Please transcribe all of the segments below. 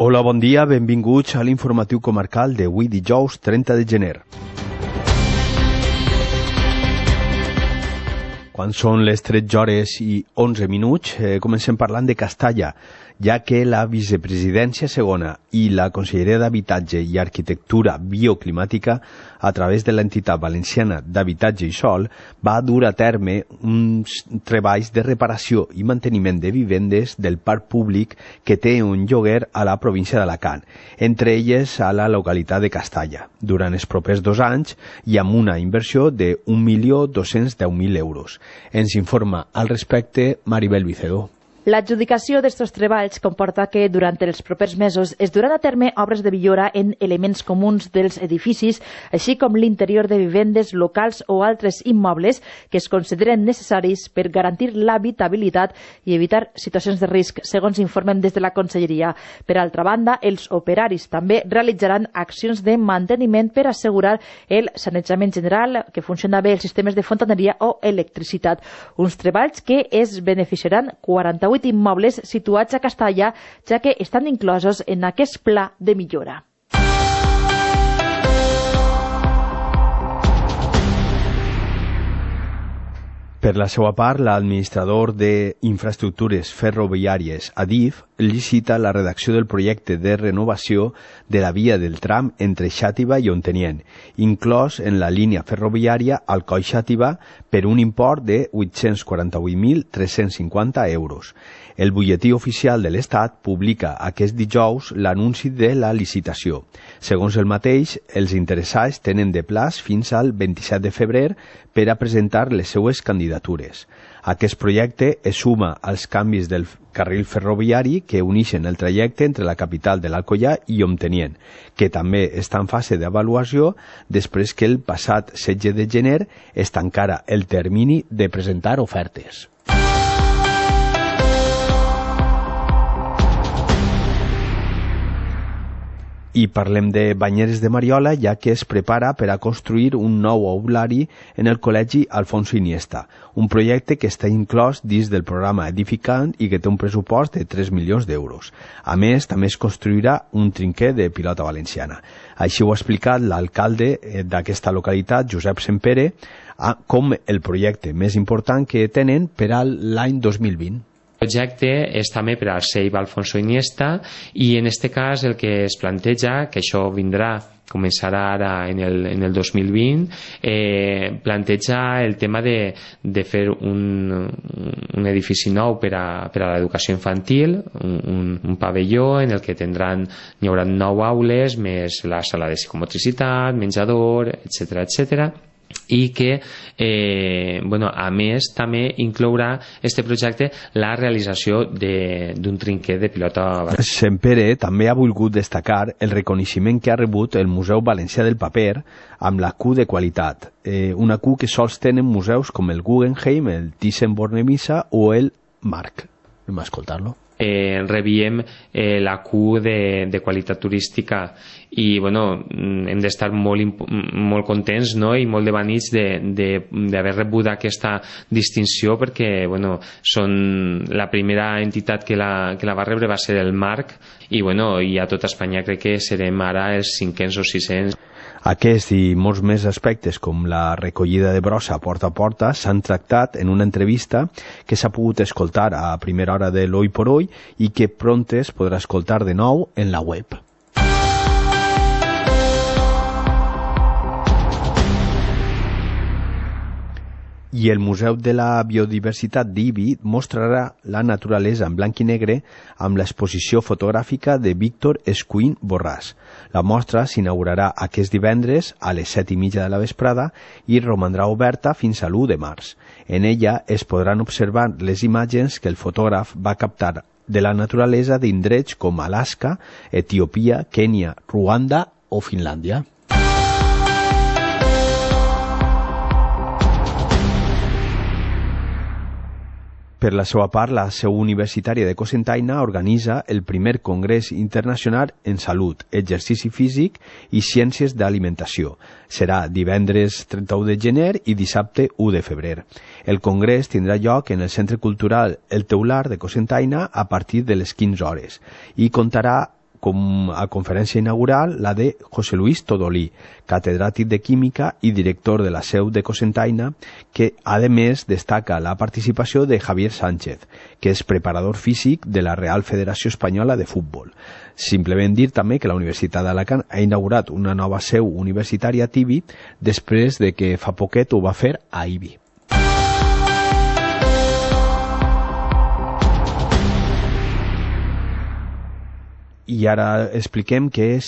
Hola, bon dia, benvinguts a l'informatiu comarcal d'avui dijous 30 de gener. Quan són les 13 hores i 11 minuts, comencem parlant de Castalla, ja que la vicepresidència segona i la Conselleria d'Habitatge i Arquitectura Bioclimàtica, a través de l'entitat valenciana d'Habitatge i Sòl, va dur a terme uns treballs de reparació i manteniment de vivendes del parc públic que té un lloguer a la província d'Alacant, entre elles a la localitat de Castalla, durant els propers 2 anys i amb una inversió de 1.210.000 euros. Ens informa al respecte Maribel Vicedo. L'adjudicació d'estos treballs comporta que durant els propers mesos es duran a terme obres de millora en elements comuns dels edificis, així com l'interior de vivendes, locals o altres immobles que es consideren necessaris per garantir l'habitabilitat i evitar situacions de risc, segons informen des de la Conselleria. Per altra banda, els operaris també realitzaran accions de manteniment per assegurar el sanejament general, que funciona bé els sistemes de fontaneria o electricitat. Uns treballs que es beneficiaran 48 immobles situats a Castalla, ja que estan inclosos en aquest pla de millora. Per la seva part, l'administrador d'infraestructures ferroviàries, Adif, licita la redacció del projecte de renovació de la via del tram entre Xàtiva i Ontinyent, inclòs en la línia ferroviària Alcoi-Xàtiva per un import de 848.350 euros. El butlletí oficial de l'Estat publica aquest dijous l'anunci de la licitació. Segons el mateix, els interessats tenen de plaç fins al 27 de febrer per a presentar les seues candidatures. Aquest projecte es suma als canvis del carril ferroviari que uneixen el trajecte entre la capital de l'Alcoià i Ontinyent, que també està en fase d'avaluació després que el passat 16 de gener es tancara el termini de presentar ofertes. I parlem de Banyeres de Mariola, ja que es prepara per a construir un nou aulari en el Col·legi Alfonso Iniesta, un projecte que està inclòs dins del programa Edificant i que té un pressupost de 3 milions d'euros. A més, també es construirà un trinquer de pilota valenciana. Així ho ha explicat l'alcalde d'aquesta localitat, Josep Sempere, com el projecte més important que tenen per a l'any 2020. El projecte és també per al CEIB Alfonso Iniesta i en aquest cas el que es planteja, que això començarà ara en el 2020, planteja el tema de fer un edifici nou per a l'educació infantil, un pavelló en el que hi haurà 9 aules, més la sala de psicomotricitat, menjador, etc. I que, a més, també inclourà este projecte la realització d'un trinquer de pilota. Sempere també ha volgut destacar el reconeixement que ha rebut el Museu Valencià del Paper amb la Q de qualitat, una Q que sols tenen museus com el Guggenheim, el Thyssen-Bornemisza o el Marc. Anem a escoltar-lo. Rebíem la Q de qualitat turística i hem d'estar molt contents, no? I molt devanits d'haver rebut aquesta distinció, perquè són la primera entitat que la va rebre va ser el Marc i a tot Espanya crec que serem ara els 500 o 600. Aquest i molts més aspectes, com la recollida de brossa porta a porta, s'han tractat en una entrevista que s'ha pogut escoltar a primera hora de l'Hoy por Hoy i que pront es podrà escoltar de nou en la web. I el Museu de la Biodiversitat d'Ibi mostrarà la naturalesa en blanc i negre amb l'exposició fotogràfica de Víctor Escuín Borràs. La mostra s'inaugurarà aquest divendres a les 7:30 de la vesprada i romandrà oberta fins a l'1 de març. En ella es podran observar les imatges que el fotògraf va captar de la naturalesa d'indrets com Alaska, Etiòpia, Kènia, Ruanda o Finlàndia. Per la seva part, la seu universitària de Cocentaina organitza el primer Congrés Internacional en Salut, Exercici Físic i Ciències d'Alimentació. Serà divendres 31 de gener i dissabte 1 de febrer. El congrés tindrà lloc en el Centre Cultural El Teular de Cocentaina a partir de les 15 hores i comptarà com a conferència inaugural la de José Luis Todolí, catedràtic de Química i director de la seu de Cocentaina, que a més destaca la participació de Javier Sánchez, que és preparador físic de la Real Federació Espanyola de Futbol. Simplement dir també que la Universitat d'Alacant ha inaugurat una nova seu universitària a Tibi després de que fa poquet ho va fer a Ibi. I ara expliquem que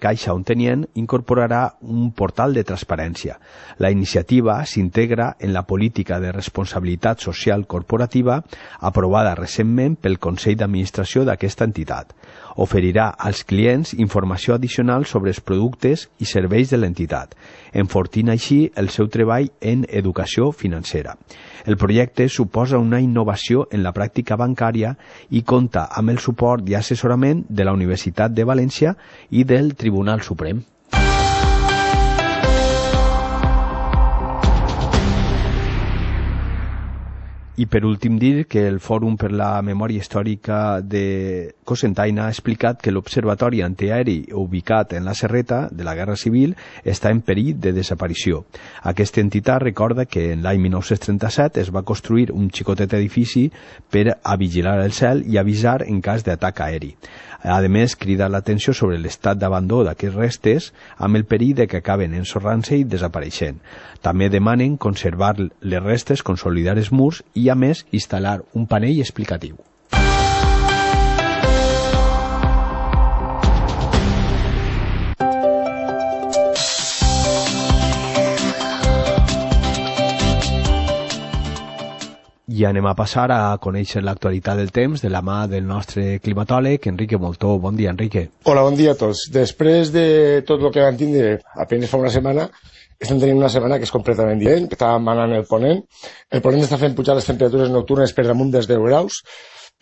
Caixa Ontenient incorporarà un portal de transparència. La iniciativa s'integra en la política de responsabilitat social corporativa aprovada recentment pel Consell d'Administració d'aquesta entitat. Oferirà als clients informació addicional sobre els productes i serveis de l'entitat, enfortint així el seu treball en educació financera. El projecte suposa una innovació en la pràctica bancària i compta amb el suport i assessorament de la Universitat de València i del Tribunal Suprem. I per últim dir que el Fòrum per la Memòria Històrica de Cocentaina ha explicat que l'observatori antiaeri ubicat en la Serreta de la Guerra Civil està en perill de desaparició. Aquesta entitat recorda que en l'any 1937 es va construir un xicotet edifici per a vigilar el cel i avisar en cas d'atac aeri. A més, crida l'atenció sobre l'estat d'abandó d'aquests restes amb el perill de que acaben ensorrant-se i desapareixent. També demanen conservar les restes, consolidar els murs i, a més, instal·lar un panell explicatiu. I anem a passar a conèixer l'actualitat del temps de la mà del nostre climatòleg, Enrique Moltó. Bon dia, Enrique. Hola, bon dia a tots. Després de tot el que vam tindre apenas fa una setmana, estem tenint una setmana que és completament diferent, que està manant el ponent. El ponent està fent pujar les temperatures nocturnes per damunt dels 10 graus,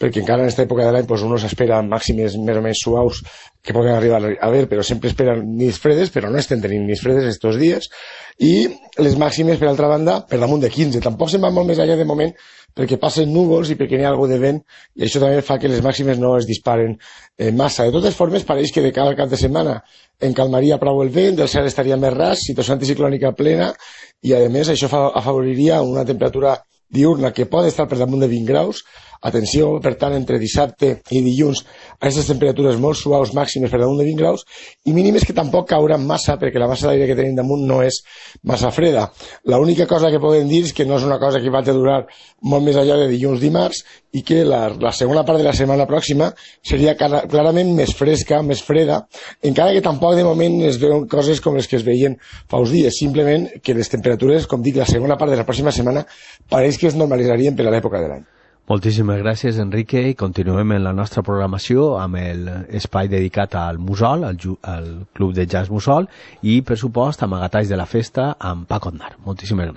perquè encara en aquesta època de l'any uno s'espera màximes més o menys suaus que poden arribar a haver, però sempre esperen nits fredes, però no estem tenint nits fredes estos dies, i les màximes, per altra banda, per damunt de 15. Tampoc se'n va molt més allà de moment, perquè passen núvols i perquè n'hi ha algo de vent, i això també fa que les màximes no es disparen massa. De totes formes, pareix que de cara al cap de setmana encalmaria prou el vent, el cel estaria més ras, situació anticiclònica plena, i a més això afavoriria una temperatura diurna que pot estar per damunt de 20 graus. Atenció, per tant, entre dissabte i dilluns a aquestes temperatures molt suaus màximes per damunt de 20 graus i mínimes que tampoc cauran massa perquè la massa d'aire que tenim damunt no és massa freda. L'única cosa que podem dir és que no és una cosa que va a durar molt més allà de dilluns-dimarts i que la segona part de la setmana pròxima seria clarament més fresca, més freda, encara que tampoc de moment es veuen coses com les que es veien fa uns dies, simplement que les temperatures, com dic, la segona part de la pròxima setmana pareix que es normalitzarien per a l'època de l'any. Moltíssimes gràcies, Enrique, i continuem en la nostra programació amb l'espai dedicat al Mussol, al Club de Jazz Mussol, i, per supost, amb Agatalls de la Festa amb Paco Aznar. Moltíssimes gràcies.